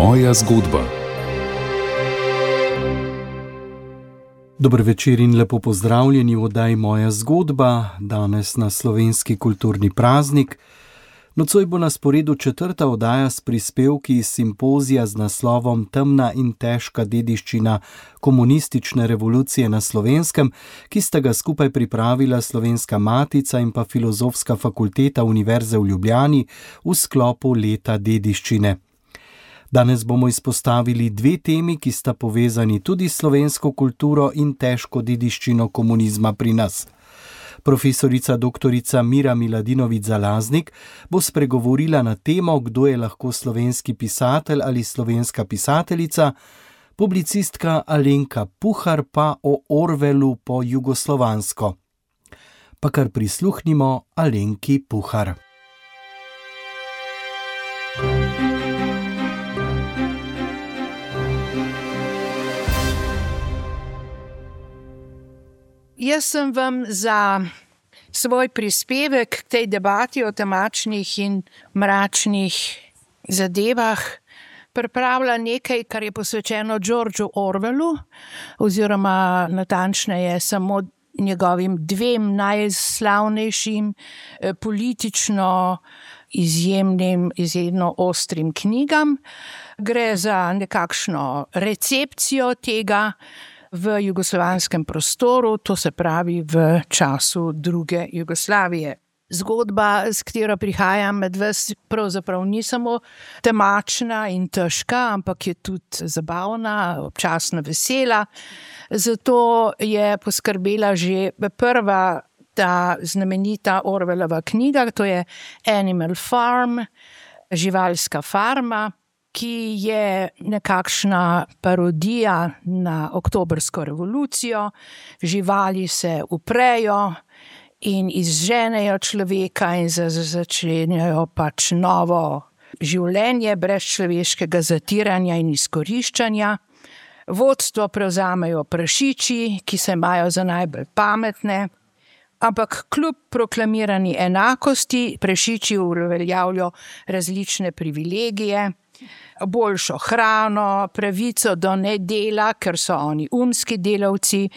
Moja zgodba. Dober večer in lepo pozdravljeni v oddaji Moja zgodba, danes na slovenski kulturni praznik. Nocoj bo na sporedu 4. oddaja s prispevki iz simpozija z naslovom Temna in težka dediščina komunistične revolucije na Slovenskem, ki sta ga skupaj pripravila Slovenska matica in pa Filozofska fakulteta Univerze v Ljubljani v sklopu leta dediščine. Danes bomo izpostavili dve temi, ki sta povezani tudi s slovensko kulturo in težko dediščino komunizma pri nas. Profesorica doktorica Mira Miladinović-Zalaznik bo spregovorila na temo, kdo je lahko slovenski pisatelj ali slovenska pisateljica, publicistka Alenka Puhar pa o Orwellu po jugoslovansko. Pa kar prisluhnimo Alenki Puhar. Jaz sem vam za svoj prispevek k tej debati o temačnih in mračnih zadevah pripravila nekaj, kar je posvečeno Georgeu Orwellu, oziroma natančneje samo njegovim dvem najslavnejšim politično izjemno ostrim knjigam. Gre za nekakšno recepcijo tega v jugoslovanskem prostoru, to se pravi v času druge Jugoslavije. Zgodba, s katero prihajam med vas, pravzaprav ni samo temačna in težka, ampak je tudi zabavna, občasno vesela. Zato je poskrbela že prva ta znamenita Orwellova knjiga, to je Animal Farm, živalska farma, ki je nekakšna parodija na oktobrsko revolucijo. Živali se uprejo in izženejo človeka in začenjajo pač novo življenje brez človeškega zatiranja in izkoriščanja. Vodstvo prevzamejo prašiči, ki se imajo za najbolj pametne, ampak kljub proklamirani enakosti prašiči uveljavljajo različne privilegije, boljšo hrano, pravico do nedela, ker so oni umski delavci,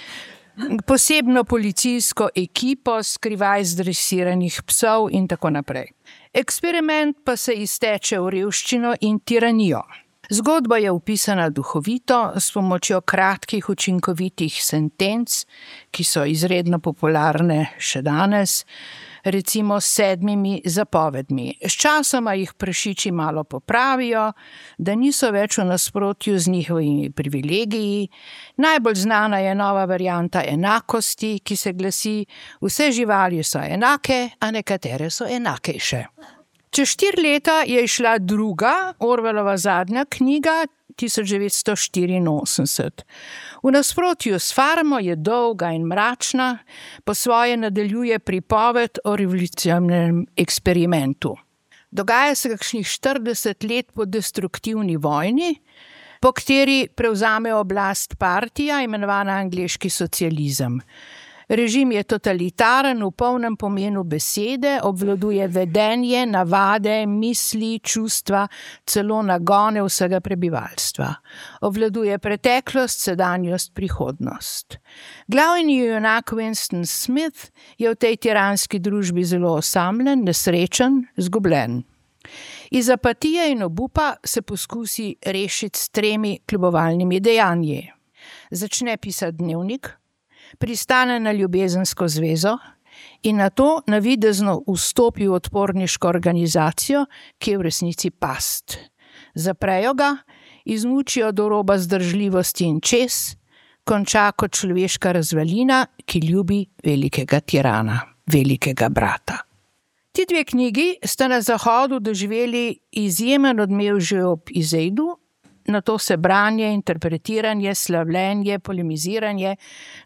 posebno policijsko ekipo skrivaj zdresiranih psov in tako naprej. Eksperiment pa se izteče v revščino in tiranijo. Zgodba je opisana duhovito, s pomočjo kratkih, učinkovitih sentenc, ki so izredno popularne še danes, recimo s 7 zapovedmi. Sčasoma jih prašiči malo popravijo, da niso več v nasprotju z njihovimi privilegiji. Najbolj znana je nova varianta enakosti, ki se glasi: vse živali so enake, a nekatere so enakejše. Čez 4 leta je izšla druga, Orwellova zadnja knjiga, 1984. V nasprotju s Farmo je dolga in mračna, po svoje nadaljuje pripoved o revolucionarnem eksperimentu. Dogaja se kakšnih 40 let po destruktivni vojni, po kateri prevzame oblast partija, imenovana angleški socializem. Režim je totalitaren v polnem pomenu besede, obvladuje vedenje, navade, misli, čustva, celo nagone vsega prebivalstva. Obvladuje preteklost, sedanjost, prihodnost. Glavni junak Winston Smith je v tej tiranski družbi zelo osamljen, nesrečen, izgubljen. Iz apatije in obupa se poskusi rešiti s 3 kljubovalnimi dejanji. Začne pisati dnevnik, pristane na ljubezensko zvezo in nato navidezno vstopi v odporniško organizacijo, ki je v resnici past. Zaprejo ga, izmučijo do roba zdržljivosti in čez, konča kot človeška razvalina, ki ljubi velikega tirana, velikega brata. Ti 2 knjigi sta na Zahodu doživeli izjemen odmev že ob izeidu, nato se branje, interpretiranje, slavljenje, polemiziranje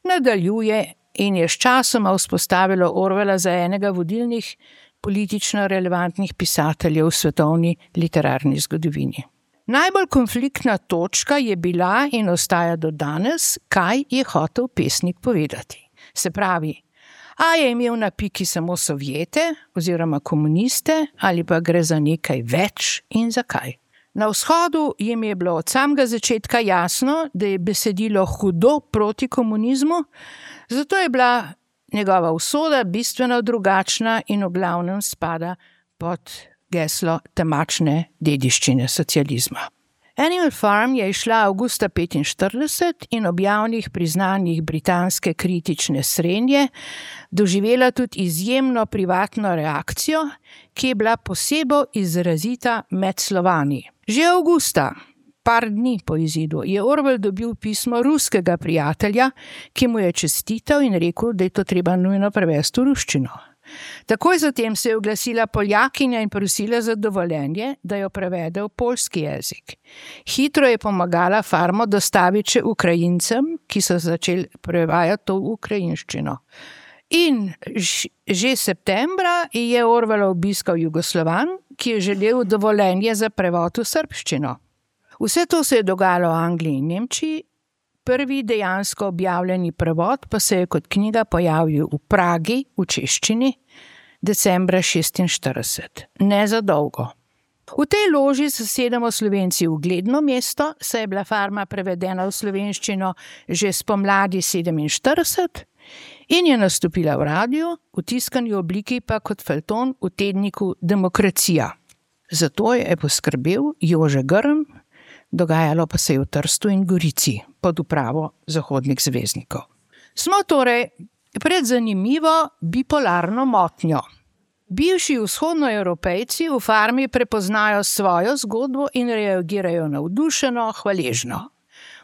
nadaljuje in je sčasoma vzpostavilo Orwella za enega vodilnih politično relevantnih pisateljev v svetovni literarni zgodovini. Najbolj konfliktna točka je bila in ostaja do danes, kaj je hotel pesnik povedati. Se pravi, a je imel na piki samo Sovjete oziroma komuniste ali pa gre za nekaj več in zakaj. Na vzhodu jim je bilo od samega začetka jasno, da je besedilo hudo proti komunizmu, zato je bila njegova usoda bistveno drugačna in v glavnem spada pod geslo temačne dediščine socializma. Animal Farm je izšla avgusta 1945 in ob javnih priznanjih britanske kritične srenje doživela tudi izjemno privatno reakcijo, ki je bila posebej izrazita med Slovani. Že avgusta, par dni po izidu, je Orwell dobil pismo ruskega prijatelja, ki mu je čestital in rekel, da je to treba nujno prevesti v ruščino. Takoj zatem se je oglasila Poljakinja in prosila za dovoljenje, da jo prevede v poljski jezik. Hitro je pomagala Farmo dostaviti še Ukrajincem, ki so začeli prevajati to v ukrajinščino. In že septembra je Orwell obiskal Jugoslovan, ki je želel dovoljenje za prevod v srbščino. Vse to se je dogajalo v Angliji in Nemčiji, prvi dejansko objavljeni prevod pa se je kot knjiga pojavil v Pragi v češčini decembra 1946. Ne za dolgo. V tej loži zasedamo Slovenci ugledno mesto, saj je bila Farma prevedena v slovenščino že spomladi 1947 in je nastopila v radiu, v tiskani obliki pa kot feljton v tedniku Demokracija. Zato je poskrbel Jože Grm, dogajalo pa se je v Trstu in Gorici pod upravo zahodnih zvezdnikov. Smo torej pred zanimivo bipolarno motnjo. Bivši vzhodnoevropejci v Farmi prepoznajo svojo zgodbo in reagirajo navdušeno, hvaležno.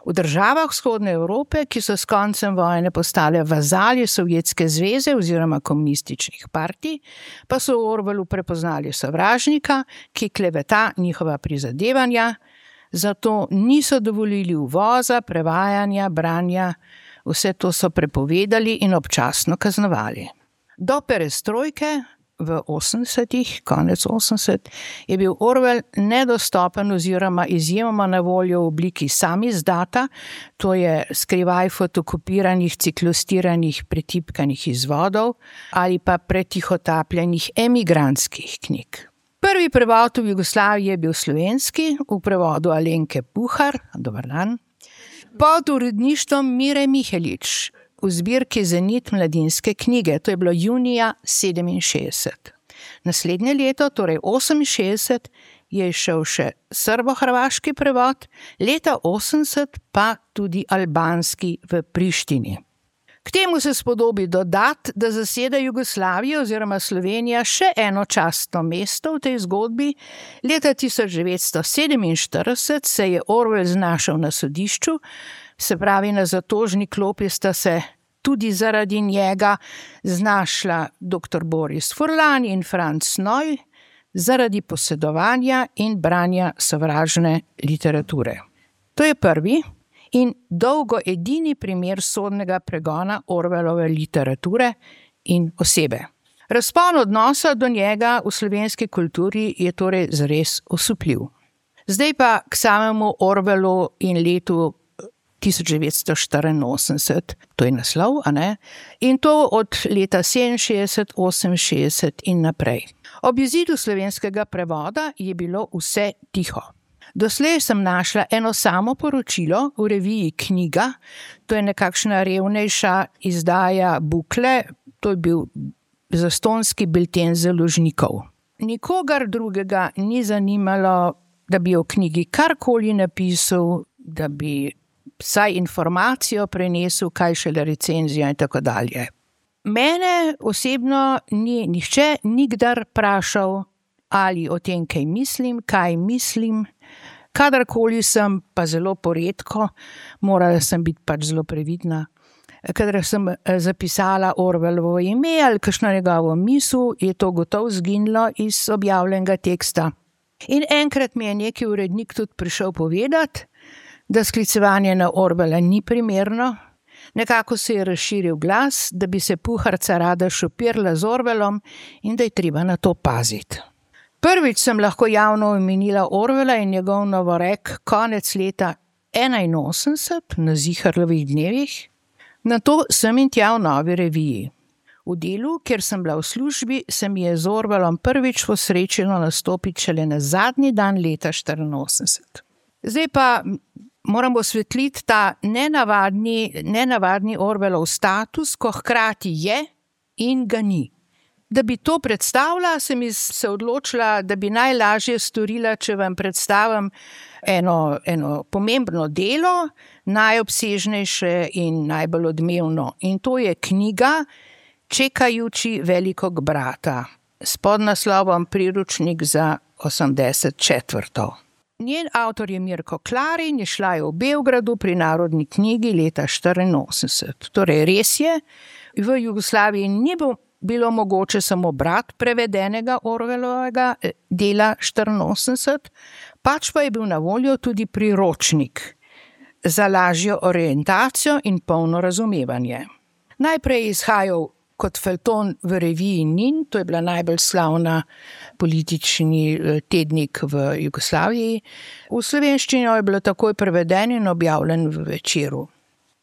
V državah vzhodne Evrope, ki so s koncem vojne postale vazali Sovjetske zveze oziroma komunističnih partij, pa so v Orwellu prepoznali sovražnika, ki kleveta njihova prizadevanja, zato niso dovolili uvoza, prevajanja, branja, vse to so prepovedali in občasno kaznovali. Do perestrojke v 80-ih, konec 80, je bil Orwell nedostopen oziroma izjemoma na voljo v obliki samizdata, to je skrivaj fotokopiranih, ciklostiranih, pretipkanih izvodov ali pa pretihotapljenih emigrantskih knjig. Prvi prevod v Jugoslaviji je bil slovenski, v prevodu Alenke Puhar, dober dan, pod uredništvom Mire Mihelič, v zbirki Zenit mladinske knjige, to je bilo junija 67. Naslednje leto, torej 68, je šel še srbo-hrvaški prevod, leta 80 pa tudi albanski v Prištini. K temu se spodobi dodati, da zaseda Jugoslavija oziroma Slovenija še eno častno mesto v tej zgodbi. Leta 1947 se je Orwell znašel na sodišču, se pravi na zatožni klopi sta se tudi zaradi njega znašla dr. Boris Furlan in Franz Noj zaradi posedovanja in branja sovražne literature. To je prvi in dolgo edini primer sodnega pregona Orwellove literature in osebe. Razpon odnosa do njega v slovenski kulturi je torej zares osupljiv. Zdaj pa k samemu Orwellu in letu 1984, to je naslov, a ne? In to od leta 67, 68 in naprej. Ob izidu slovenskega prevoda je bilo vse tiho. Doslej sem našla eno samo poročilo v reviji Knjiga, to je nekakšna revnejša izdaja Bukle, to je bil zastonjski bilten založnikov. Nikogar drugega ni zanimalo, da bi o knjigi karkoli napisal, da bi vsaj informacijo prenesel, kaj šele recenzijo in tako dalje. Mene osebno ni nihče nikdar vprašal, ali o tem kaj mislim, kadarkoli sem, pa zelo poredko, morala sem biti pač zelo previdna. Kadar sem zapisala Orwellovo ime ali kakšno njegovo misel, je to gotovo zginilo iz objavljenega teksta. In enkrat mi je neki urednik tudi prišel povedati, da sklicevanje na Orwella ni primerno. Nekako se je razširil glas, da bi se Puharca rada šopirala z Orwellom in da je treba na to paziti. Prvič sem lahko javno omenila Orwella in njegov novorek konec leta 81 na Ziharlovih dnevih, nato sem in tja v Novi reviji. V delu, kjer sem bila v službi, se mi je z Orwellom prvič posrečilo nastopiti šele na zadnji dan leta 1984. Zdaj pa moramo osvetliti ta nenavadni Orwellov status, ko hkrati je in ga ni. Da bi to predstavila, sem se odločila, da bi najlažje storila, če vam predstavim eno pomembno delo, najobsežnejše in najbolj odmevno. In to je knjiga Čekajući velikog brata s podnaslovom Priročnik za 84. Njen avtor je Mirko Klarin, je šla v Beogradu pri Narodni knjigi leta 1984. Torej res je, v Jugoslaviji ni bilo mogoče samo brati prevedenega Orwellovega dela 1984, pač pa je bil na voljo tudi priročnik za lažjo orientacijo in polno razumevanje. Najprej je izhajal kot feljton v reviji Nin, to je bila najbolj slavna politični tednik v Jugoslaviji. V slovenščino je bilo takoj preveden in objavljen v Večeru.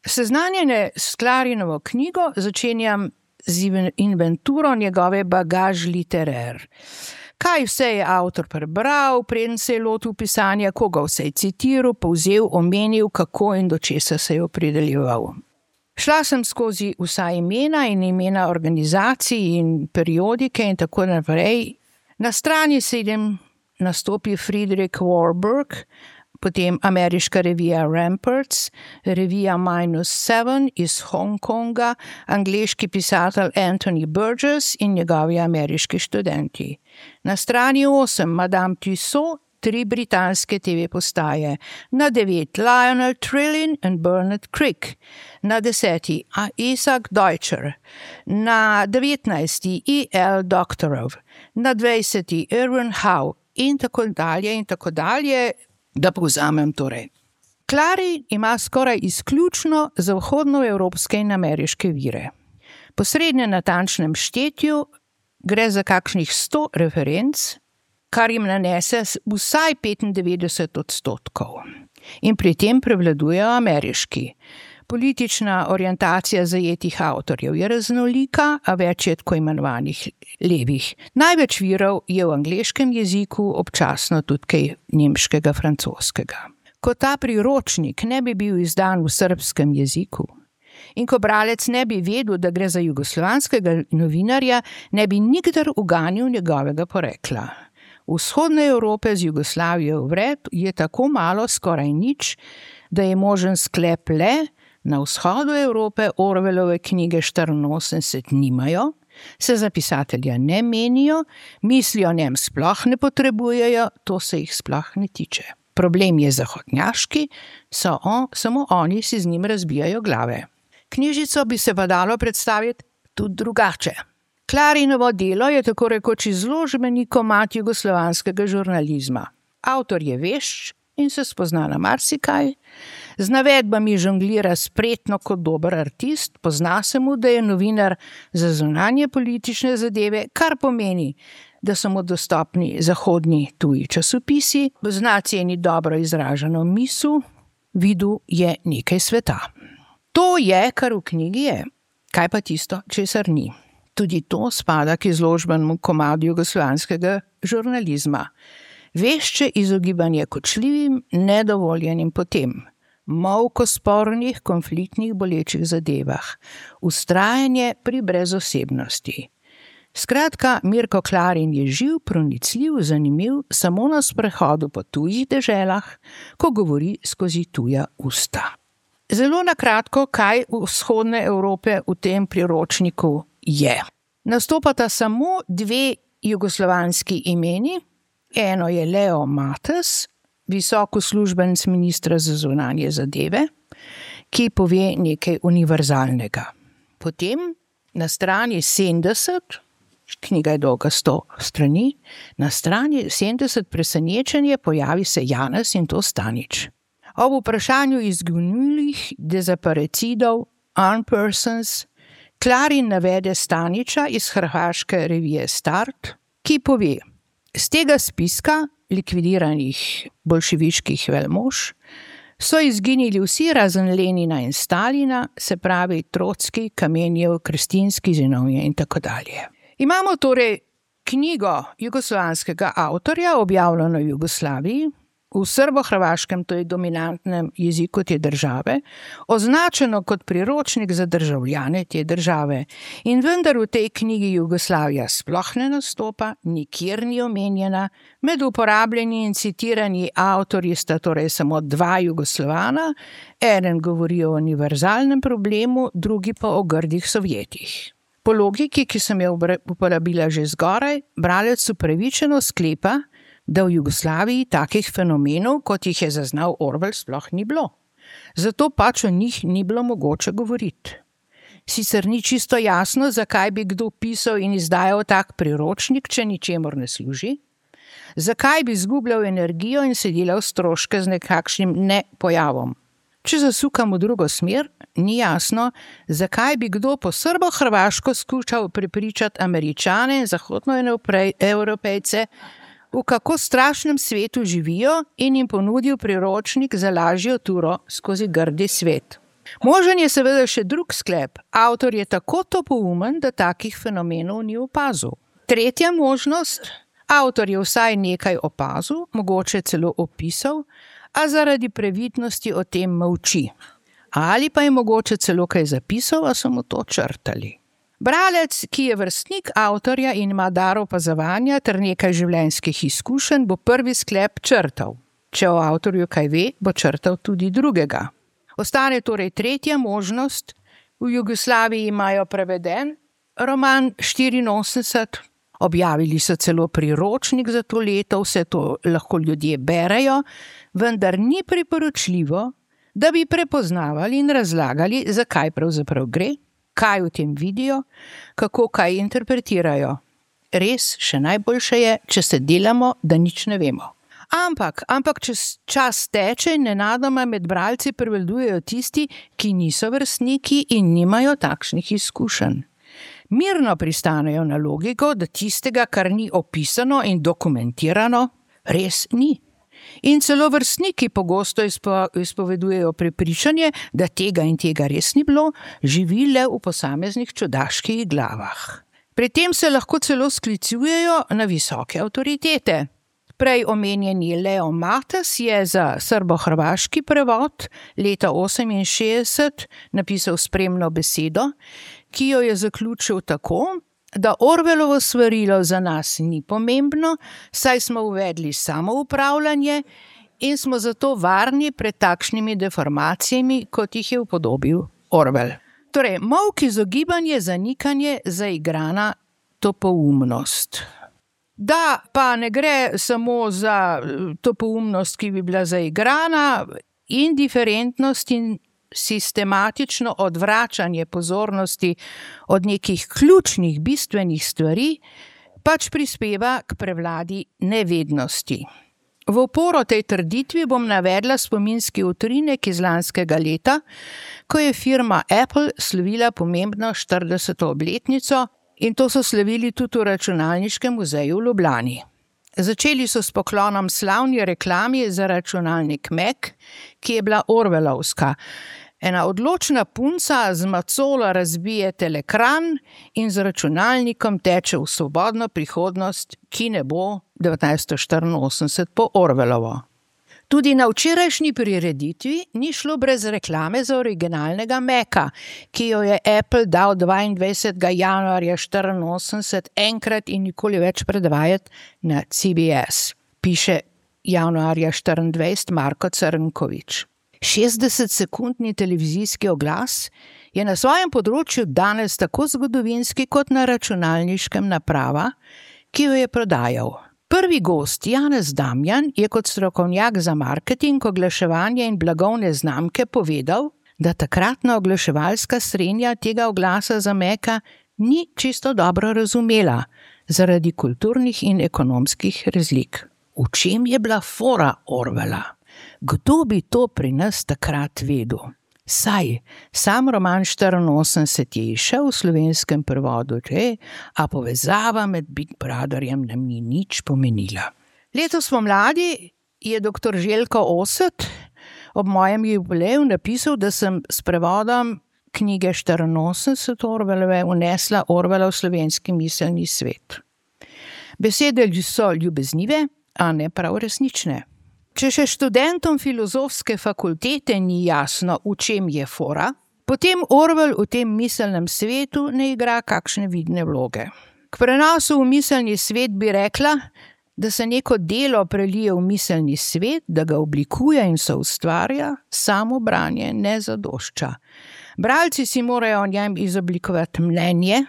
Seznanjene s Klarinovo knjigo začenjam z inventuro njegove bagaž literer. Kaj vse je avtor prebral, preden se je lotil pisanja, koga vse je citiral, povzel, omenil, kako in do česa se je opredeljeval. Šla sem skozi vsa imena in imena organizacij in periodike in tako naprej. Na strani 7 nastopi Friedrich Warburg, potem ameriška revija Ramparts, revija -7 iz Hongkonga, angleški pisatelj Anthony Burgess in njegovi ameriški študenti. Na strani 8 Madame Tussaud, 3 britanske TV postaje, na 9 Lionel Trillin in Bernard Crick, na 10 Isaac Deutscher, na 19 E.L. Doktorov, na 20 Irwin Howe in tako dalje, da povzamem torej. Klarin ima skoraj izključno zahodnoevropske in ameriške vire. Po srednje natančnem štetju gre za kakšnih 100 referenc, kar jim nanese vsaj 95%. In pri tem prevladujejo ameriški. Politična orientacija zajetih avtorjev je raznolika, a več je tako imenovanih levih. Največ virov je v angleškem jeziku, občasno tudi kaj nemškega, francoskega. Ko ta priročnik ne bi bil izdan v srbskem jeziku in ko bralec ne bi vedel, da gre za jugoslovanskega novinarja, ne bi nikdar uganil njegovega porekla. Vzhodne Evrope z Jugoslavijo vred je tako malo, skoraj nič, da je možen sklep le, na vzhodu Evrope Orwellove knjige 84 nimajo, se za pisatelja ne menijo, mislijo o njem sploh ne potrebujejo, to se jih sploh ne tiče. Problem je zahodnjaški, samo oni si z njim razbijajo glave. Knjižico bi se pa dalo predstaviti tudi drugače. Klarinovo delo je tako rekoč izložbeni komad jugoslovanskega žurnalizma. Avtor je vešč in se spozna na marsikaj, z navedbami žonglira spretno kot dober artist, pozna se mu, da je novinar za zunanje politične zadeve, kar pomeni, da so mu dostopni zahodni tuji časopisi, zna ceni dobro izraženo misel, videl je nekaj sveta. To je, kar v knjigi je, kaj pa tisto, česar ni. Tudi to spada k izložbenemu komadu jugoslovanskega žurnalizma. Vešče izogibanje kočljivim, nedovoljenim potem, molk o spornih, konfliktnih, bolečih zadevah, vztrajanje pri brezosebnosti. Skratka, Mirko Klarin je živ, pronicljiv, zanimiv, samo na sprehodu po tujih deželah, ko govori skozi tuja usta. Zelo na kratko, kaj vzhodne Evrope v tem priročniku je. Nastopata samo 2 jugoslovanski imeni, eno je Leo Mates, visok uslužbenec ministra za zunanje zadeve, ki pove nekaj univerzalnega. Potem na strani 70, knjiga je dolga 100 strani, na strani 70 presenečenje pojavi se Janez in to Stanič. Ob vprašanju izginulih, dezaparecidov, unpersons, Klarin navede Staniča iz hrvaške revije Start, ki pove: z tega spiska likvidiranih boljševiških velmož So izginili vsi razen Lenina in Stalina, se pravi Trotski, Kamenjev, Krestinski, Zinovje in tako dalje. Imamo torej knjigo jugoslovanskega avtorja, objavljeno v Jugoslaviji, v srbo-hrvaškem, to je dominantnem jeziku te države, označeno kot priročnik za državljane te države. In vendar v tej knjigi Jugoslavija sploh ne nastopa, nikjer ni omenjena, med uporabljeni in citirani avtorji sta torej samo dva Jugoslovana, eden govori o univerzalnem problemu, drugi pa o grdih Sovjetih. Po logiki, ki sem jo uporabila že zgoraj, bralec upravičeno sklepa, da v Jugoslaviji takih fenomenov, kot jih je zaznal Orwell, sploh ni bilo. Zato pač o njih ni bilo mogoče govoriti. Sicer ni čisto jasno, zakaj bi kdo pisal in izdajal tak priročnik, če ničemur ne služi, zakaj bi izgubljal energijo in se delal stroške z nekakšnim nepojavom. Če zasukam v drugo smer, ni jasno, zakaj bi kdo po srbo-hrvaško skušal prepričati Američane in zahodnoevropejce, v kako strašnem svetu živijo in jim ponudil priročnik za lažjo turo skozi grdi svet. Možen je seveda še drug sklep. Avtor je tako topoumen, da takih fenomenov ni opazil. Tretja možnost, avtor je vsaj nekaj opazil, mogoče celo opisal, a zaradi previdnosti o tem molči. Ali pa je mogoče celo kaj zapisal, a so mu to črtali. Bralec, ki je vrstnik avtorja in ima dar opazovanja ter nekaj življenjskih izkušenj, bo prvi sklep črtal. Če o avtorju kaj ve, bo črtal tudi drugega. Ostane torej tretja možnost. V Jugoslaviji imajo preveden roman 84, objavili so celo priročnik za to leto, vse to lahko ljudje berejo, vendar ni priporočljivo, da bi prepoznavali in razlagali, zakaj pravzaprav gre, kaj v tem vidijo, kako kaj interpretirajo. Res, še najboljše je, če se delamo, da nič ne vemo. Ampak čez čas teče in nenadoma med bralci prevladujejo tisti, ki niso vrstniki in nimajo takšnih izkušenj. Mirno pristanejo na logiko, da tistega, kar ni opisano in dokumentirano, res ni. In celo vrstniki pogosto izpovedujejo prepričanje, da tega in tega res ni bilo, živi le v posameznih čudaških glavah. Pri tem se lahko celo sklicujejo na visoke avtoritete. Prej omenjeni Leo Matas je za srbo-hrvaški prevod leta 1968 napisal spremno besedo, ki jo je zaključil tako, da Orwellovo svarilo za nas ni pomembno, saj smo uvedli samoupravljanje in smo zato varni pred takšnimi deformacijami, kot jih je upodobil Orwell. Torej, molk, izogibanje, zanikanje, zaigrana topoumnost. Da pa ne gre samo za topoumnost, ki bi bila zaigrana, indiferentnost in sistematično odvračanje pozornosti od nekih ključnih, bistvenih stvari, pač prispeva k prevladi nevednosti. V oporo tej trditvi bom navedla spominski utrinek iz lanskega leta, ko je firma Apple slavila pomembno 40. obletnico, in to so slavili tudi v Računalniškem muzeju v Ljubljani. Začeli so s poklonom slavni reklami za računalnik Mac, ki je bila orwellovska. Ena odločna punca z macolo razbije telekran in z računalnikom teče v svobodno prihodnost, ki ne bo 1984 po Orwellovo. Tudi na včerajšnji prireditvi ni šlo brez reklame za originalnega Maca, ki jo je Apple dal 22. januarja 1984 enkrat in nikoli več predvajati na CBS, piše januarja 1924 Marko Crnković. 60-sekundni televizijski oglas je na svojem področju danes tako zgodovinski kot na računalniškem naprava, ki jo je prodajal. Prvi gost, Janez Damjan, je kot strokovnjak za marketing, oglaševanje in blagovne znamke povedal, da takratna oglaševalska srenja tega oglasa za Maca ni čisto dobro razumela zaradi kulturnih in ekonomskih razlik. V čem je bila fora Orwella? Kdo bi to pri nas takrat vedel? Saj, sam roman 84 je izšel v slovenskem prevodu, a povezava med Big Brotherjem nam ni nič pomenila. Letos pomladi je dr. Željko Oset ob mojem jubileju napisal, da sem s prevodom knjige 84 Orwellove unesla Orwella v slovenski miselni svet. Besede so ljubeznive, a ne prav resnične. Če še študentom filozofske fakultete ni jasno, v čem je fora, potem Orwell v tem miselnem svetu ne igra kakšne vidne vloge. K prenosu v miselni svet bi rekla, da se neko delo prelije v miselni svet, da ga oblikuje in soustvarja, samo branje ne zadošča. Bralci si morajo o njem izoblikovati mnenje,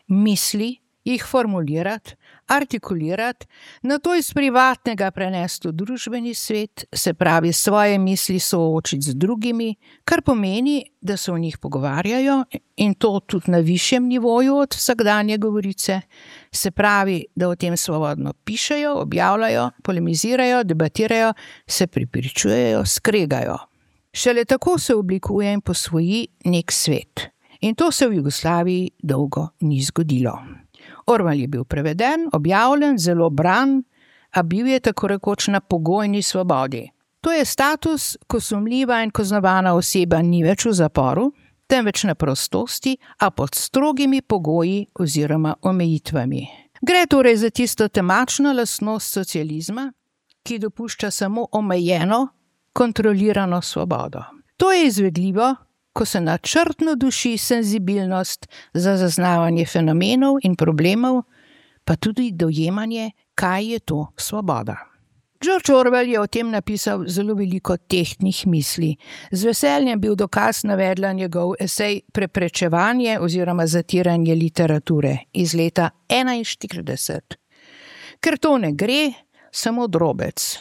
misli, jih formulirati, artikulirati, nato iz privatnega prenesti v družbeni svet, se pravi svoje misli soočiti z drugimi, kar pomeni, da se o njih pogovarjajo in to tudi na višjem nivoju od vsakdanje govorice, se pravi, da o tem svobodno pišejo, objavljajo, polemizirajo, debatirajo, se prepričujejo, skregajo. Šele tako se oblikuje in posvoji nek svet. In to se v Jugoslaviji dolgo ni zgodilo. Orwell je bil preveden, objavljen, zelo bran, a bil je tako rekoč na pogojni svobodi. To je status, ko sumljiva in kaznovana oseba ni več v zaporu, temveč na prostosti, a pod strogimi pogoji oziroma omejitvami. Gre torej za tisto temačno lastnost socializma, ki dopušča samo omejeno, kontrolirano svobodo. To je izvedljivo, ko se načrtno duši senzibilnost za zaznavanje fenomenov in problemov, pa tudi dojemanje, kaj je to svoboda. George Orwell je o tem napisal zelo veliko tehtnih misli. Z veseljem bil dokaz navedla njegov esej Preprečevanje oziroma zatiranje literature iz leta 1941. Ker to ne gre, samo drobec.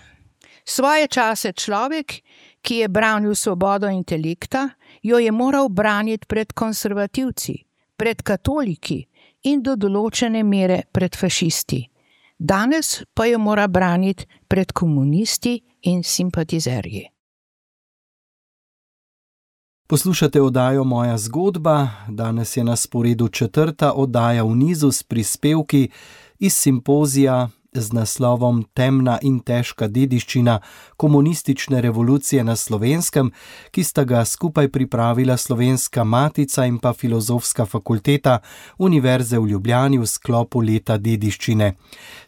Svoje čase človek, ki je branil svobodo intelekta, jo je moral braniti pred konservativci, pred katoliki in do določene mere pred fašisti. Danes pa jo mora braniti pred komunisti in simpatizerji. Poslušate oddajo Moja zgodba. Danes je na sporedu 4. oddaja v nizu s prispevki iz simpozija z naslovom Temna in težka dediščina komunistične revolucije na Slovenskem, ki sta ga skupaj pripravila Slovenska matica in pa Filozofska fakulteta Univerze v Ljubljani v sklopu leta dediščine.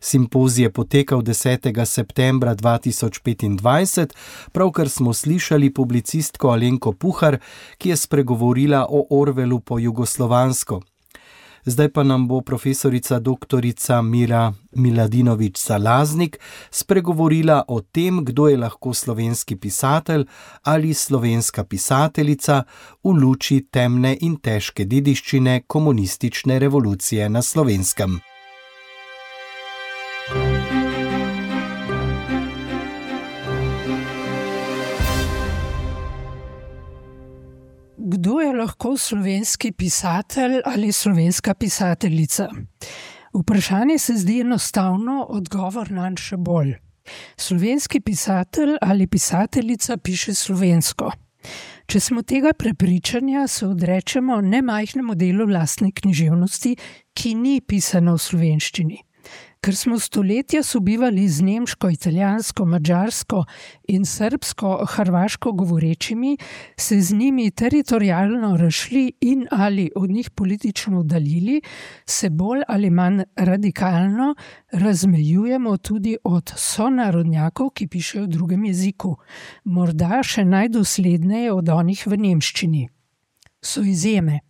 Simpozij je potekal 10. septembra 2025, pravkar smo slišali publicistko Alenko Puhar, ki je spregovorila o Orwellu po jugoslovansko. Zdaj pa nam bo profesorica doktorica Mira Miladinović-Salaznik spregovorila o tem, kdo je lahko slovenski pisatelj ali slovenska pisateljica v luči temne in težke dediščine komunistične revolucije na Slovenskem. Kdo je lahko slovenski pisatelj ali slovenska pisateljica? Vprašanje se zdi enostavno, odgovor nanj še bolj. Slovenski pisatelj ali pisateljica piše slovensko. Če smo tega prepričanja, se odrečemo nemajhnemu delu lastne književnosti, ki ni pisana v slovenščini. Ker smo stoletja sobivali z nemško, italijansko, madžarsko in srbsko, hrvaško govorečimi, se z njimi teritorialno razšli in ali od njih politično oddaljili, se bolj ali manj radikalno razmejujemo tudi od sonarodnjakov, ki pišejo v drugem jeziku, morda še najdosledneje od onih v nemščini. So izjeme.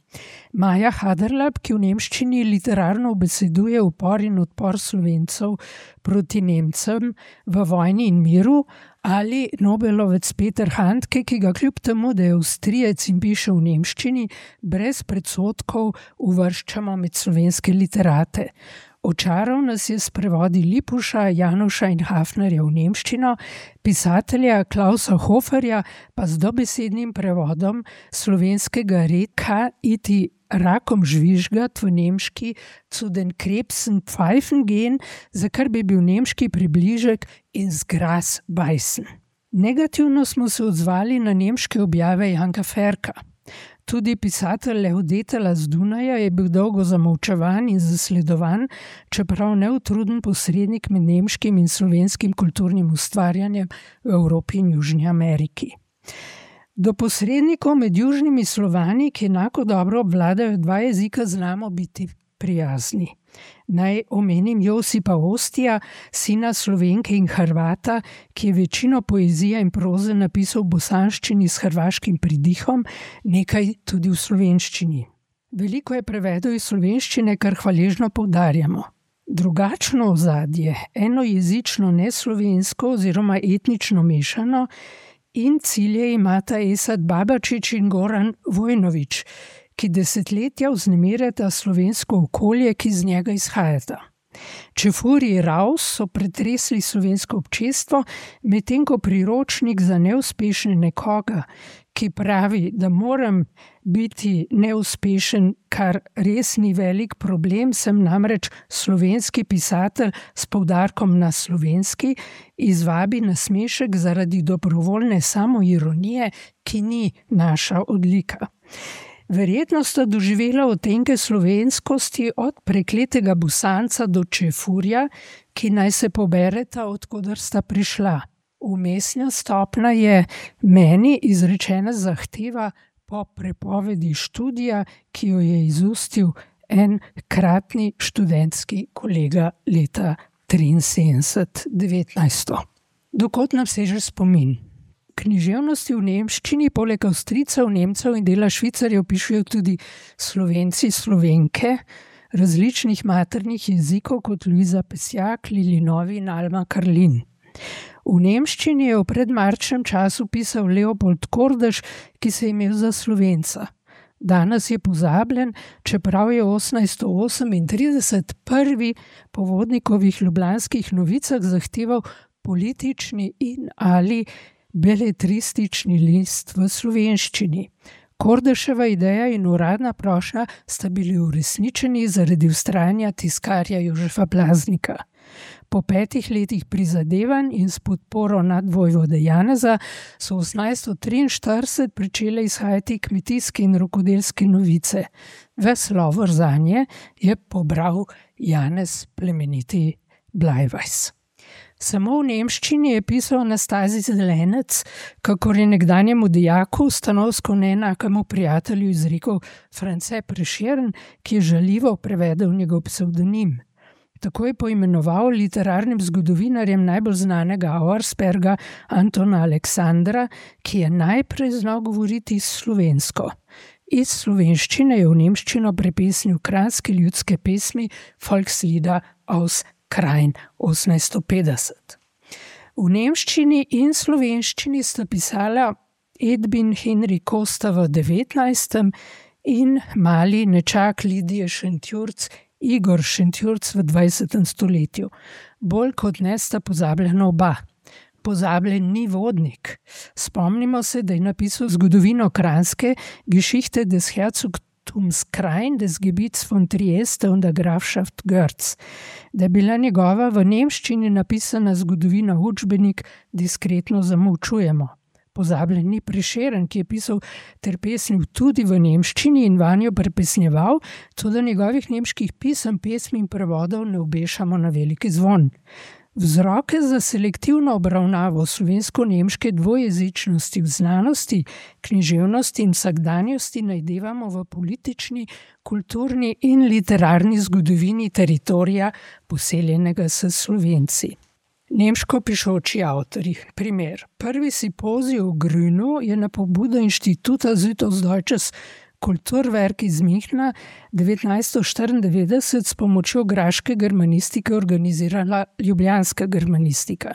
Maja Haderlap, ki v nemščini literarno ubeseduje upor in odpor Slovencev proti Nemcem v vojni in miru, ali Nobelovec Peter Handke, ki ga kljub temu, da je Avstrijec in piše v nemščini, brez predsodkov uvrščamo med slovenske literate. Očaral nas je s prevodi Lipuša, Januša in Hafnerja v nemščino, pisatelja Klausa Hoferja pa z dobesednim prevodom slovenskega reka iti rakom žvižgat v nemški zu den Krebsen pfeifen gehen, za kar bi bil nemški približek ins Gras beißen. Negativno smo se odzvali na nemške objave Janka Ferka. Tudi pisatelj Leodetela z Dunaja je bil dolgo zamolčevan in zasledovan, čeprav neutruden posrednik med nemškim in slovenskim kulturnim ustvarjanjem v Evropi in Južni Ameriki. Do posrednikov med južnimi Slovani, ki enako dobro obvladajo dva jezika, znamo biti prijazni. Naj omenim Josipa Ostija, sina Slovenke in Hrvata, ki je večino poezije in proze napisal v bosanščini s hrvaškim pridihom, nekaj tudi v slovenščini. Veliko je prevedel iz slovenščine, kar hvaležno poudarjamo. Drugačno ozadje, enojezično neslovensko oziroma etnično mešano, in cilje imata Esad Babačić in Goran Vojnović, ki desetletja vznemirjata slovensko okolje, ki iz njega izhajata. Čefurji Raus so pretresli slovensko občestvo, medtem ko priročnik za neuspešne nekoga, ki pravi, da moram biti neuspešen, kar res ni velik problem, sem namreč slovenski pisatelj s poudarkom na slovenski, izvabi nasmešek zaradi dobrovoljne samoironije, ki ni naša odlika. Verjetno sta doživela odtenke slovenskosti od prekletega Bosanca do Čefurja, ki naj se pobereta, od koder sta prišla. Vmesna stopnja je meni izrečena zahteva po prepovedi študija, ki jo je izustil enkratni študentski kolega leta 1973. Dokot nam seže spomin. Književnosti v nemščini poleg Avstrijcev, Nemcev in dela Švicarjev pišejo tudi Slovenci, Slovenke različnih maternih jezikov kot Luisa Pesjak, Lili Novi in Alma Karlin. V nemščini je v predmarčnem času pisal Leopold Kordež, ki se je imel za Slovenca. Danes je pozabljen, čeprav je 1838 prvi po Vodnikovih ljubljanskih novicah zahteval politični in ali beletristični list v slovenščini. Kordeševa ideja in uradna prošnja sta bili uresničeni zaradi vztrajanja tiskarja Jožefa Blaznika. Po 5 letih prizadevanj in s podporo nadvojvode Janeza so 1843 pričele izhajati kmetijske in rokodelske novice. Ves lovor zanje je pobral Janez plemeniti Bleiweis. Samo v nemščini je pisal Anastazij Zelenec, kakor je nekdanjemu dijaku, stanovsko neenakemu prijatelju izrekel France Prešeren, ki je žaljivo prevedel njegov psevdonim. Tako je poimenoval literarnim zgodovinarjem najbolj znanega Auersperga Antona Aleksandra, ki je najprej znal govoriti slovensko. Iz slovenščine je v nemščino prepesnil kranjske ljudske pesmi Volkslieder aus Krain 1850. V nemščini in slovenščini sta pisala Edwin Henry Kosta v 19. in mali nečak Lidije Šentjurc Igor Šentjurc v 20. stoletju. Bolj kot ne sta pozabljena oba. Pozabljen ni Vodnik. Spomnimo se, da je napisal zgodovino Kranjske Geschichte des Herzogtums Krain des Gebiets von Trieste und der Grafschaft Görz. Da je bila njegova v nemščini napisana zgodovina učbenik, diskretno zamolčujemo. Pozabljen ni Prešeren, ki je pisal ter pesnil tudi v nemščini in vanjo prepesnjeval, tudi njegovih nemških pisem, pesmi in prevodov ne obešamo na veliki zvon. Vzroke za selektivno obravnavo slovensko-nemške dvojezičnosti v znanosti, književnosti in vsakdanjosti najdevamo v politični, kulturni in literarni zgodovini teritorija, poseljenega s Slovenci. Nemško pišoči avtorji. Primer. Prvi simpozij v Grünu je na pobudo Inštituta Südostdeutsches Kulturwerk iz Münchna 1994 s pomočjo graške germanistike organizirala ljubljanska germanistika.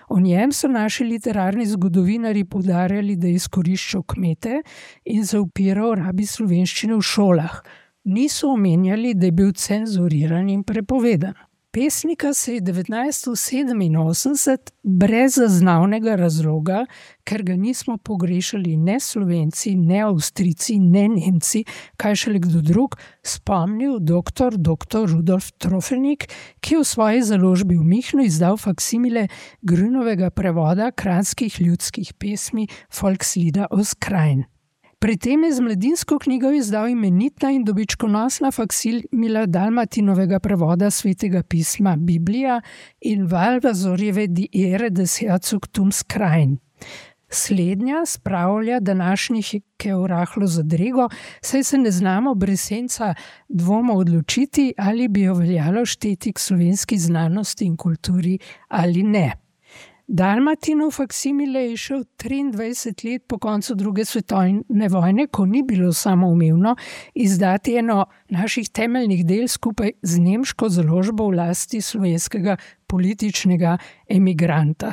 O njem so naši literarni zgodovinarji poudarjali, da je izkoriščal kmete in zaupiral rabi slovenščine v šolah. Niso omenjali, da je bil cenzuriran in prepovedan. Pesnika se je 1987 brez zaznavnega razloga, ker ga nismo pogrešali ne Slovenci, ne Avstrijci, ne Nemci, kaj šele kdo drug, spomnil dr. Rudolf Trofelnik, ki je v svoji založbi v Münchnu izdal faksimile Grünovega prevoda kranjskih ljudskih pesmi Volkslieder aus Krain. Pri tem je z mladinsko knjigo izdal imenitna in dobičkonosna faksimila Dalmatinovega prevoda svetega pisma Biblija in Valvazorjeve Die Ehre des Herzogtums Krain. Slednja spravlja današnjike v rahlo zadrego, saj se ne znamo brez senca dvoma odločiti, ali bi jo veljalo šteti k slovenski znanosti in kulturi ali ne. Dalmatinov faksimile je šel 23 let po koncu druge svetovne vojne, ko ni bilo samoumevno izdati eno naših temeljnih del skupaj z nemško založbo v lasti slovenskega političnega emigranta.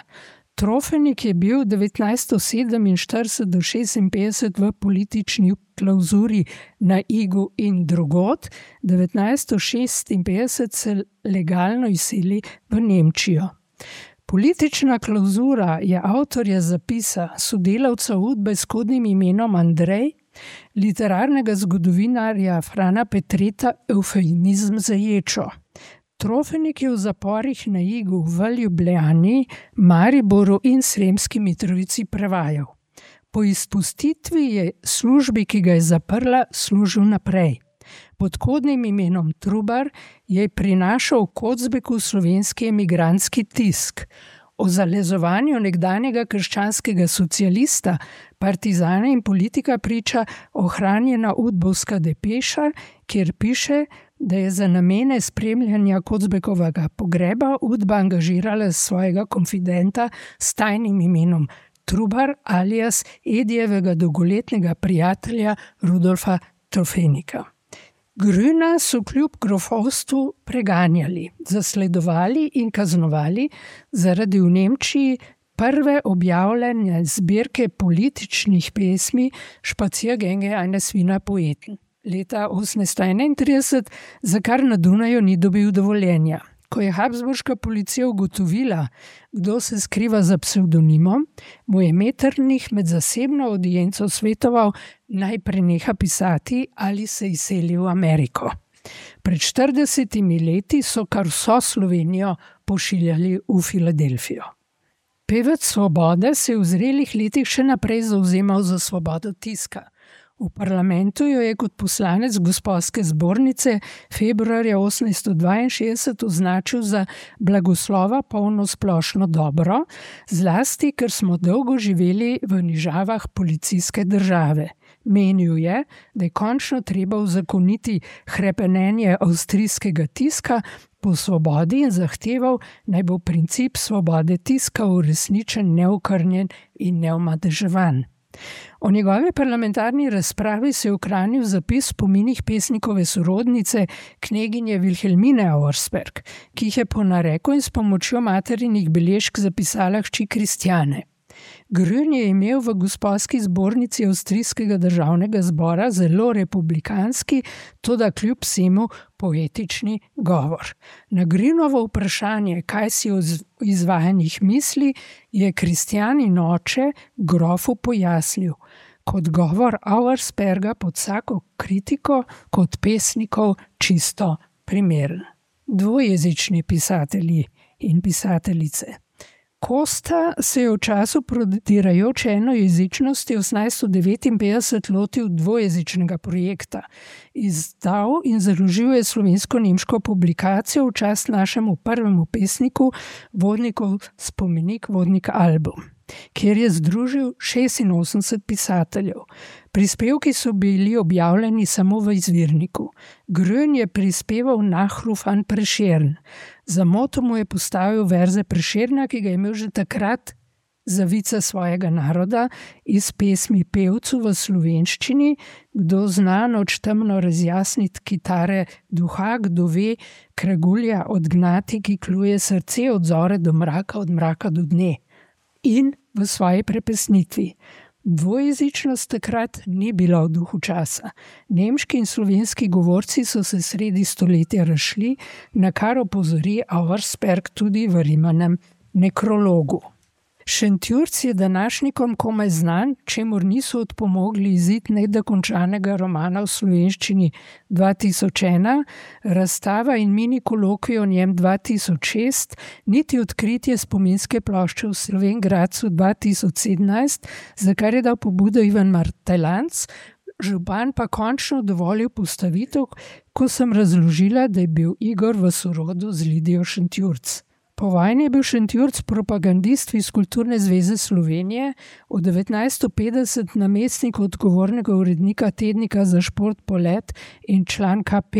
Trofenik je bil 1947 do 1956 v politični klauzuri na Igu in drugod, 1956 se legalno izseli v Nemčijo. Politična klauzura je avtorja zapisa, sodelavca Udbe s kodnim imenom Andrej, literarnega zgodovinarja Frana Petreta, eufemizem za ječo. Trofenik je v zaporih na Igu, v Ljubljani, Mariboru in Sremski Mitrovici prevajal. Po izpustitvi je službi, ki ga je zaprla, služil naprej. Pod kodnim imenom Trubar je prinašal v Kocbeku slovenski emigrantski tisk. O zalezovanju nekdanjega krščanskega socialista, partizana in politika priča ohranjena udbovska depeša, kjer piše, da je za namene spremljanja Kocbekovega pogreba Udba angažirala svojega konfidenta s tajnim imenom Trubar alias Edijevega dolgoletnega prijatelja Rudolfa Trofenika. Grüna so kljub grofovstvu preganjali, zasledovali in kaznovali zaradi v Nemčiji prve objavljene zbirke političnih pesmi Spaziergänge eines Wiener Poeten leta 1831, za kar na Dunaju ni dobil dovoljenja. Ko je habsburška policija ugotovila, kdo se skriva za psevdonimom, mu je Metternich med zasebno audienco svetoval, naj preneha pisati ali se izseli v Ameriko. Pred 40 leti so kar vso Slovenijo pošiljali v Filadelfijo. Pevec Svobode se je v zrelih letih še naprej zavzemal za svobodo tiska. V parlamentu jo je kot poslanec Gosposke zbornice februarja 1862 označil za blagoslova polno splošno dobro, zlasti, ker smo dolgo živeli v nižavah policijske države. Menil je, da je končno treba uzakoniti hrepenenje avstrijskega tiska po svobodi in zahteval, naj bo princip svobode tiska uresničen, neokrnjen in neomadeževan. O njegovi parlamentarni razpravi se je ohranil zapis v spominih pesnikove sorodnice, kneginje Wilhelmine Auersperg, ki jih je po nareku in s pomočjo materinih beležk zapisala hči Kristjane. Grün je imel v Gosposki zbornici Avstrijskega državnega zbora zelo republikanski, toda kljub vsemu poetični govor. Na Grünovo vprašanje, kaj si o izvajanjih misli, je Kristjanin oče grofu pojasnil: kot govor Auersperga pod vsako kritiko, kot pesnikov čisto primeren. Dvojezični pisatelji in pisateljice. Kosta se je v času prodirajoče enojezičnosti 1859 lotil dvojezičnega projekta. Izdal in založil je slovensko-nemško publikacijo v čast našemu prvemu pesniku, vodnikov spomenik Vodnik album, kjer je združil 86 pisateljev. Prispevki so bili objavljeni samo v izvirniku. Grün je prispeval Nachruf an Prešern. Za moto mu je postavil verze Prešerna, ki ga je imel že takrat za vica svojega naroda, iz pesmi Pevcu v slovenščini, kdo zna noč temno razjasniti kitare duha, kdo ve kragulja odgnati, ki kluje srce od zore do mraka, od mraka do dne. In v svoji prepesnitvi. Dvojezičnost takrat ni bila v duhu časa. Nemški in slovenski govorci so se sredi stoletja razšli, na kar opozori Auersperg tudi v Rimanem nekrologu. Šentjurc je današnjikom komaj znan, čemur niso odpomogli izid nedokončanega romana v slovenščini 2001, razstava in mini kolokvij o njem 2006, niti odkritje spominske plošče v Slovenj Gradcu 2017, za kar je dal pobudo Ivan Martelanc, župan pa končno dovolil postavitev, ko sem razložila, da je bil Igor v sorodu z Lidijo Šentjurc. Po vojni je bil Šentjurc propagandist iz Kulturne zveze Slovenije, od 1950 namestnik odgovornega urednika tednika za šport Polet in član KP.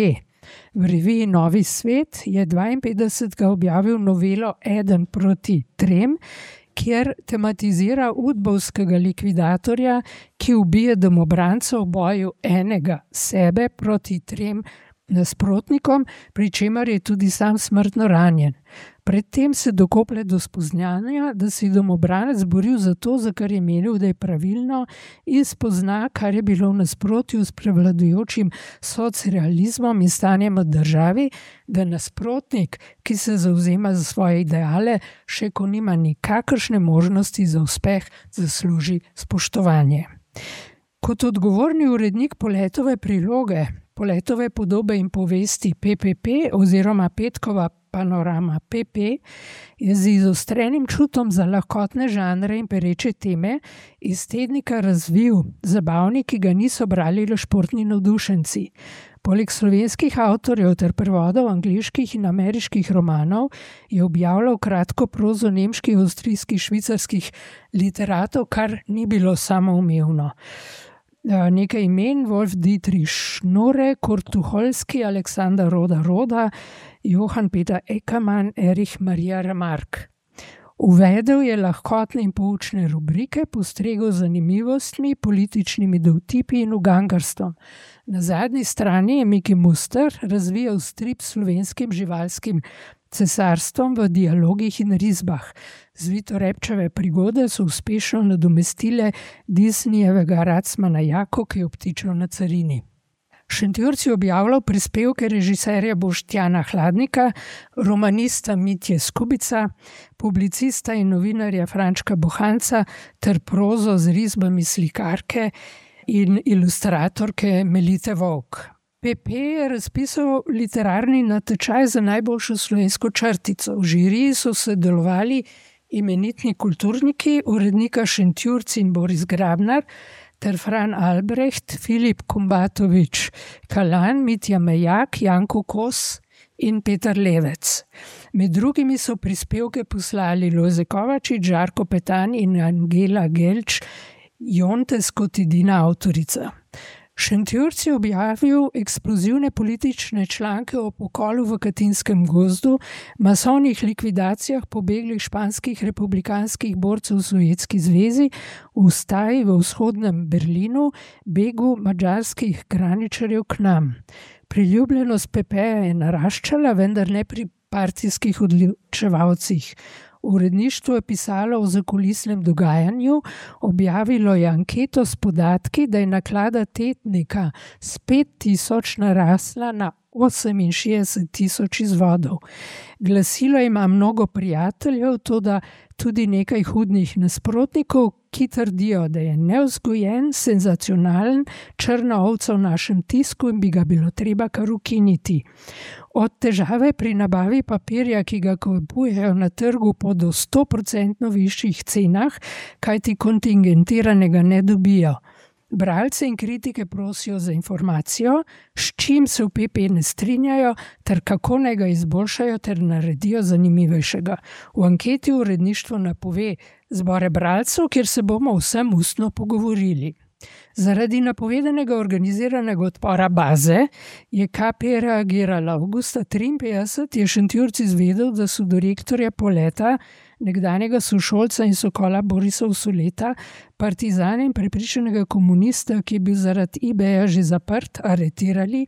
V reviji Novi svet je 52. objavil novelo Eden proti trem, kjer tematizira udbovskega likvidatorja, ki ubije domobrancov v boju enega sebe proti trem nasprotnikom, pri čemer je tudi sam smrtno ranjen. Predtem se dokoplje do spoznanja, da si domobranec boril za to, za kar je menil, da je pravilno, in spozna, kar je bilo v nasprotju s prevladujočim socrealizmom in stanjem v državi, da nasprotnik, ki se zavzema za svoje ideale, še ko nima nikakršne možnosti za uspeh, zasluži spoštovanje. Kot odgovorni urednik Poletove priloge, Poletove podobe in povesti PPP oziroma Petkova panorama PP, je z izostrenim čutom za lahkotne žanre in pereče teme iz tednika razvil zabavnik, ki ga niso brali le športni navdušenci. Poleg slovenskih avtorjev ter prevodov angleških in ameriških romanov je objavljal kratko prozo nemških, avstrijskih, švicarskih literatov, kar ni bilo samoumevno. Nekaj imen: Wolf Dietrich Schnurre, Kurt Tucholsky, Alexander Roda, Johann Peter Eckermann, Erich Maria Remarque. Uvedel je lahkotne in poučne rubrike, postregel z zanimivostmi, političnimi dovtipi in ugangarstvom. Na zadnji strani je Miki Muster razvijal strip s slovenskim živalskim cesarstvom v dialogih in risbah. Zvitorepčeve prigode so uspešno nadomestile Disneyjevega Racmana Jako, ki je obtičal na carini. Šentjurc je objavljal prispevke režiserja Boštjana Hladnika, romanista Mitje Skubica, publicista in novinarja Frančka Bohanca ter prozo z risbami slikarke in ilustratorke Melite Vovk. PP je razpisal literarni natečaj za najboljšo slovensko črtico. V žiriji so sodelovali imenitni kulturniki, urednika Šentjurc in Boris Grabnar, ter Fran Albrecht, Filip Kumbatovič Kalan, Mitja Mejak, Janko Kos in Peter Levec. Med drugimi so prispevke poslali Lojze Kovačič, Žarko Petan in Angela Gelč, Jontes kot edina avtorica. Šentjurc je objavil eksplozivne politične članke o pokolu v Katinskem gozdu, masovnih likvidacijah pobeglih španskih republikanskih borcev v Sovjetski zvezi, ustaji v vzhodnem Berlinu, begu madžarskih graničarjev k nam. Priljubljenost PP-ja je naraščala, vendar ne pri partijskih odločevalcih. Uredništvo je pisalo o zakulisnem dogajanju, objavilo je anketo s podatki, da je naklada tednika s 5.000 narasla na 68.000 izvodov. Glasilo ima mnogo prijateljev, toda tudi nekaj hudnih nasprotnikov, ki trdijo, da je nevzgojen, senzacionalen, črna ovca v našem tisku in bi ga bilo treba kar ukiniti. Od težave pri nabavi papirja, ki ga kupujejo na trgu po do 100% višjih cenah, kajti kontingentiranega ne dobijo. Bralce in kritike prosijo za informacijo, s čim se v PP ne strinjajo, ter kako naj ga izboljšajo ter naredijo zanimivejšega. V anketi uredništvo napove zbore bralcev, kjer se bomo vsem ustno pogovorili. Zaradi napovedanega organiziranega odpora baze je KP reagirala. Avgusta 1953 je Šentjurc izvedel, da so direktorja Poleta, nekdanjega sošolca in sokola Borisa Usoleta, partizane in prepričanega komunista, ki je bil zaradi eBaya že zaprt, aretirali,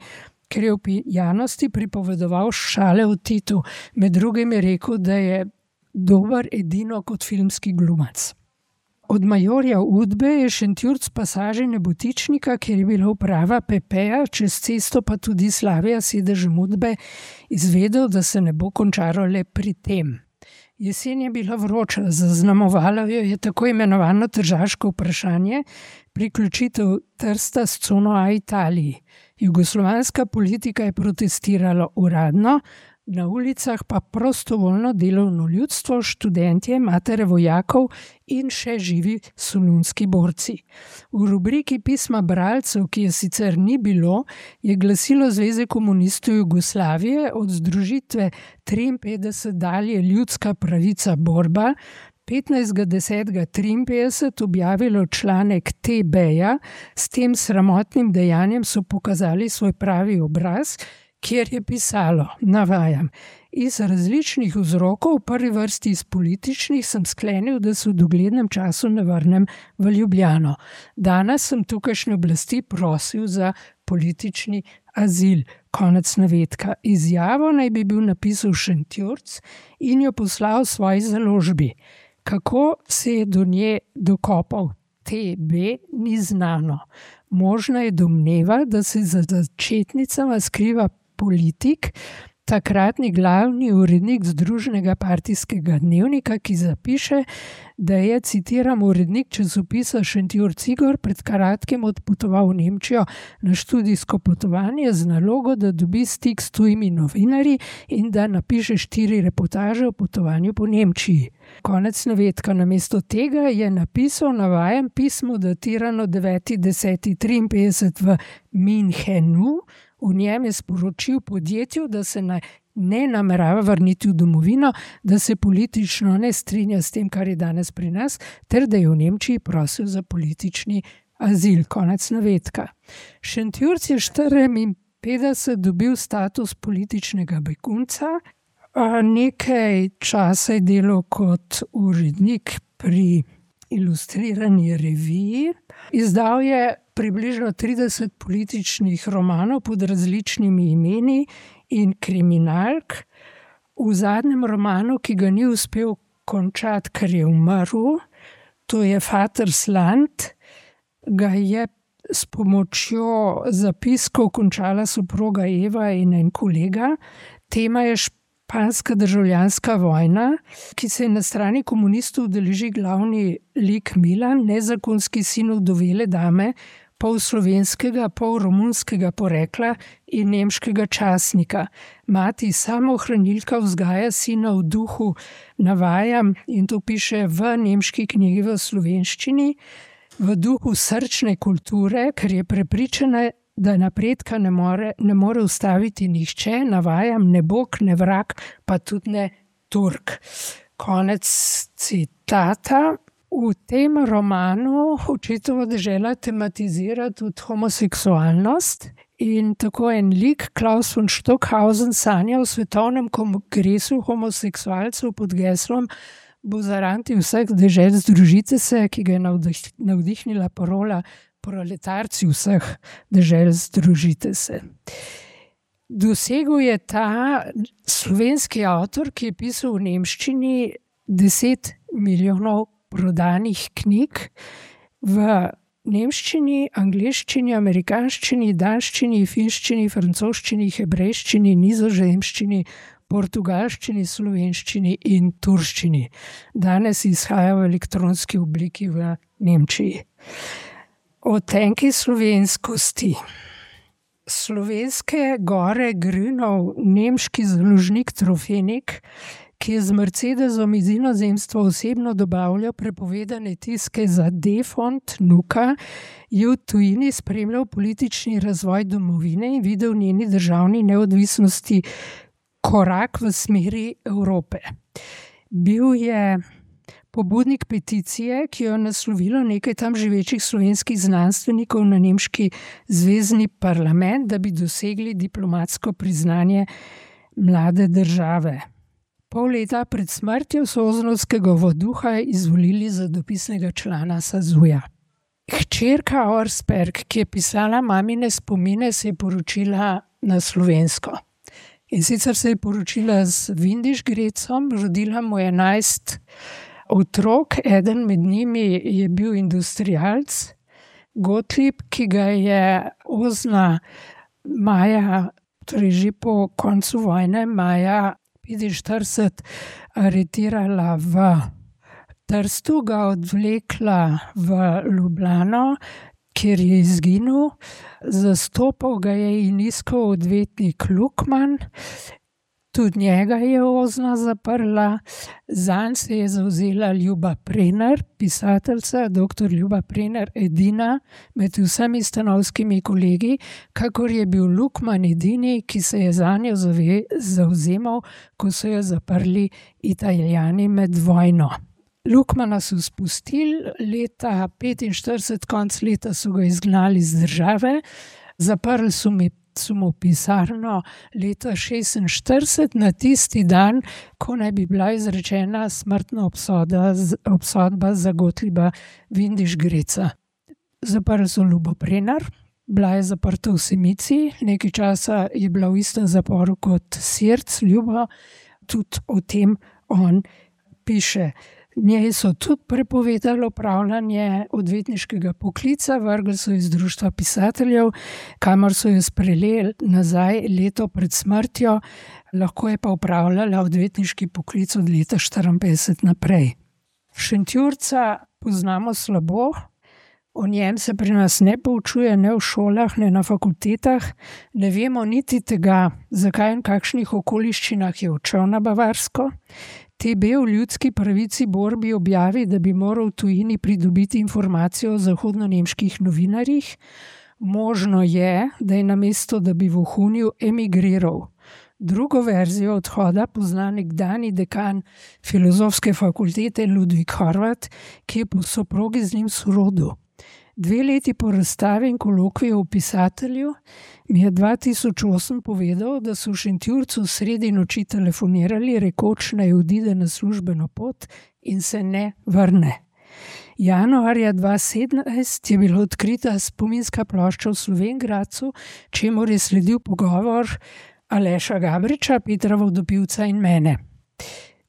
ker je v pijanosti pripovedoval šale o Titu. Med drugim je rekel, da je dober edino kot filmski glumac. Od majorja Udbe je Šentjurc pasaže Nebotičnika, kjer je bila uprava PP-ja, čez cesto pa tudi Slavija, sedežem Udbe, izvedel, da se ne bo končalo le pri tem. Jesen je bila vroča, zaznamovalo jo je tako imenovano tržaško vprašanje, priključitev Trsta s cono A Italiji. Jugoslovanska politika je protestirala uradno, na ulicah pa prostovoljno delovno ljudstvo, študentje, matere vojakov in še živi solunski borci. V rubriki pisma bralcev, ki je sicer ni bilo, je glasilo Zveze komunistov Jugoslavije od združitve 53 dalje Ljudska pravica borba 15.10.53 objavilo članek TB-ja. S tem sramotnim dejanjem so pokazali svoj pravi obraz, kjer je pisalo, navajam, iz različnih vzrokov, v prvi vrsti iz političnih, sem sklenil, da se v doglednem času ne vrnem v Ljubljano. Danes sem tukajšnje oblasti prosil za politični azil. Konec navedka. Izjavo naj bi bil napisal Šentjurc in jo poslal svoji založbi. Kako se je do nje dokopal TB, ni znano. Možna je domneva, da se za začetnicama skriva politik, takratni glavni urednik Združenega partijskega dnevnika, ki zapiše, da je, citiram, urednik časopisa Šentjurc Igor pred kratkim odpotoval v Nemčijo na študijsko potovanje z nalogo, da dobi stik s tujimi novinarji in da napiše 4 reportaže o potovanju po Nemčiji. Konec navedka. Namesto tega je napisal, navajam, pismo datirano 9.10.53 v Münchenu. V njem je sporočil podjetju, da se ne namerava vrniti v domovino, da se politično ne strinja s tem, kar je danes pri nas, ter da je v Nemčiji prosil za politični azil. Konec navedka. Šentjurc je 54 dobil status političnega begunca, nekaj časa je delal kot urednik pri ilustrirani reviji. Izdal je približno 30 političnih romanov pod različnimi imeni in kriminalk. V zadnjem romanu, ki ga ni uspel končati, ker je umrl, to je Vatersland, ga je s pomočjo zapiskov končala soproga Eva in en kolega. Tema je španska državljanska vojna, ki se je na strani komunistov udeleži glavni lik Milan, nezakonski sin vdovele dame, pol slovenskega, pol romunskega porekla in nemškega častnika. Mati samoohranilka vzgaja sina v duhu, navajam, in to piše v nemški knjigi v slovenščini, v duhu srčne kulture, ker je prepričana, da napredka ne more ustaviti nihče, navajam, ne Bog, ne vrag, pa tudi ne Turk. Konec citata. V tem romanu očetova dežela tematizira tudi homoseksualnost in tako en lik, Klaus von Stockhausen, sanja o svetovnem kongresu homoseksualcev pod geslom Buzaranti vseh dežel združite se, ki ga je navdihnila parola Proletarci vseh dežel združite se. Dosegel je ta slovenski avtor, ki je pisal v nemščini 10 milijonov prodanih knjig, v nemščini, angleščini, amerikanščini, danščini, finščini, francoščini, hebrejščini, nizozemščini, portugalščini, slovenščini in turščini. Danes izhaja v elektronski obliki v Nemčiji. Odtenki slovenskosti. Slovenske gore Grünov, nemški založnik Trofenik, ki je z Mercedesom iz inozemstva osebno dobavljal prepovedane tiske za Defont, Nuka, je v tujini spremljal politični razvoj domovine in videl njeni državni neodvisnosti korak v smeri Evrope. Bil je pobudnik peticije, ki jo je naslovilo nekaj tam živečih slovenskih znanstvenikov na nemški zvezni parlament, da bi dosegli diplomatsko priznanje mlade države. Pol leta pred smrtjo so oznovskega voduha izvolili za dopisnega člana SAZU-ja. Hčerka Auersperg, ki je pisala mamine spomine, se je poročila na slovensko. In sicer se je poročila z Windischgrätzom, rodila mu 11 otrok, eden med njimi je bil industrialc, Gottlieb, ki ga je ozna maja, torej že po koncu vojne, maja 45 aretirala v Trstu, ga odvlekla v Ljubljano, kjer je izginil. Zastopal ga je in iskal odvetnik Lukman. Tudi njega je Ozna zaprla. Zanj se je zavzela Ljuba Prenar, pisateljica, dr. Ljuba Prenar, edina med vsemi stanovskimi kolegi, kakor je bil Lukman edini, ki se je zanjo zavzemal, ko so jo zaprli Italijani med vojno. Lukmana so spustili, leta 1945, konc leta so ga izgnali iz države, zaprli so mu pisarno leta 1946, na tisti dan, ko naj bi bila izrečena smrtna obsodba za Gottlieba Windischgrätza. Zaprli so Ljubo Prenar, bila je zaprta v Semici, nekaj časa je bila v istem zaporu kot Sirc, Ljubo, tudi o tem on piše. Njej so tudi prepovedali opravljanje odvetniškega poklica, vrgli so iz Društva pisateljev, kamor so jo sprejeli nazaj leto pred smrtjo, lahko je pa opravljala odvetniški poklic od leta 1954 naprej. Šentjurca poznamo slabo, o njem se pri nas ne poučuje, ne v šolah, ne na fakultetah, ne vemo niti tega, zakaj in kakšnih okoliščinah je odšel na Bavarsko. TB v Ljudski pravici borbi objavi, da bi moral v tujini pridobiti informacijo o zahodno-nemških novinarjih. Možno je, da je namesto, da bi vohunil, emigriral. Drugo verzijo odhoda pozna nekdanji dekan Filozofske fakultete Ludvik Horvat, ki je po soprogi z njim sorodil. 2 leti po razstavi in kolokviju o pisatelju mi je 2008 povedal, da so v Šentjurcu sredi noči telefonirali, rekoč naj odide na službeno pot in se ne vrne. Januarja 2017 je bila odkrita spominska plošča v Slovenj Gradcu, čemur je sledil pogovor Aleša Gabriča, Petra Vodopivca in mene.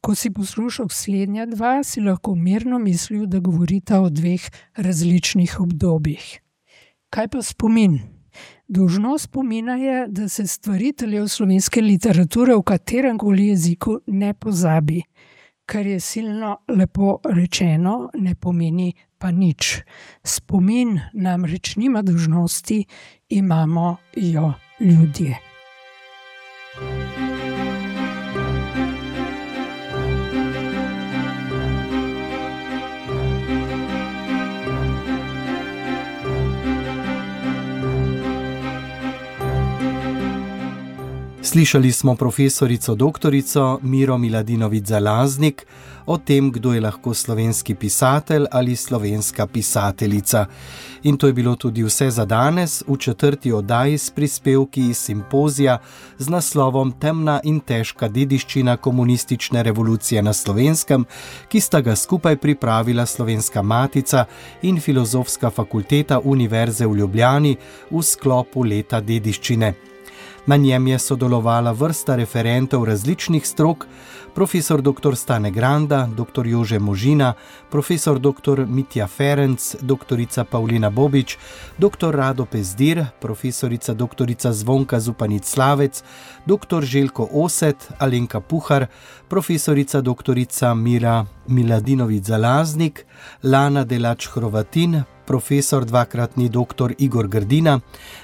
Ko si poslušal slednja dva, si lahko mirno mislil, da govorita o 2 različnih obdobjih. Kaj pa spomin? Dolžnost spomina je, da se stvariteljev slovenske literature v kateremkoli jeziku ne pozabi. Kar je silno lepo rečeno, ne pomeni pa nič. Spomin namreč nima dolžnosti, imamo jo ljudje. Slišali smo profesorico doktorico Miro Miladinović-Zalaznik o tem, kdo je lahko slovenski pisatelj ali slovenska pisateljica. In to je bilo tudi vse za danes v 4. oddaji s prispevki iz simpozija z naslovom Temna in težka dediščina komunistične revolucije na Slovenskem, ki sta ga skupaj pripravila Slovenska matica in Filozofska fakulteta Univerze v Ljubljani v sklopu leta dediščine. Na njem je sodelovala vrsta referentov različnih strok, profesor dr. Stane Granda, dr. Jože Možina, profesor dr. Mitja Ferenc, doktorica Pavlina Bobič, dr. Rado Pezdir, profesorica dr. Zvonka Zupanic-Slavec, dr. Željko Oset, Alenka Puhar, profesorica dr. Mira Miladinović-Zalaznik, Lana Delač-Hrovatin, profesor dvakratni dr. Igor Grdina,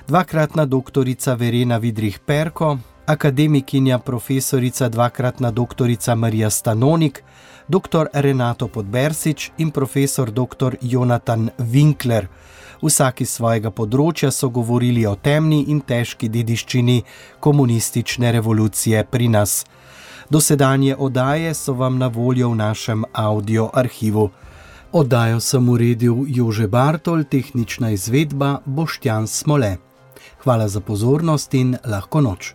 dvakratna doktorica Verena Vidrih-Perko, akademikinja profesorica dvakratna doktorica Marija Stanonik, dr. Renato Podbersič in profesor dr. Jonatan Winkler. Vsak iz svojega področja so govorili o temni in težki dediščini komunistične revolucije pri nas. Dosedanje oddaje so vam na voljo v našem audio arhivu. Oddajo sem uredil Jože Bartol, tehnična izvedba Boštjan Smole. Hvala za pozornost in lahko noč.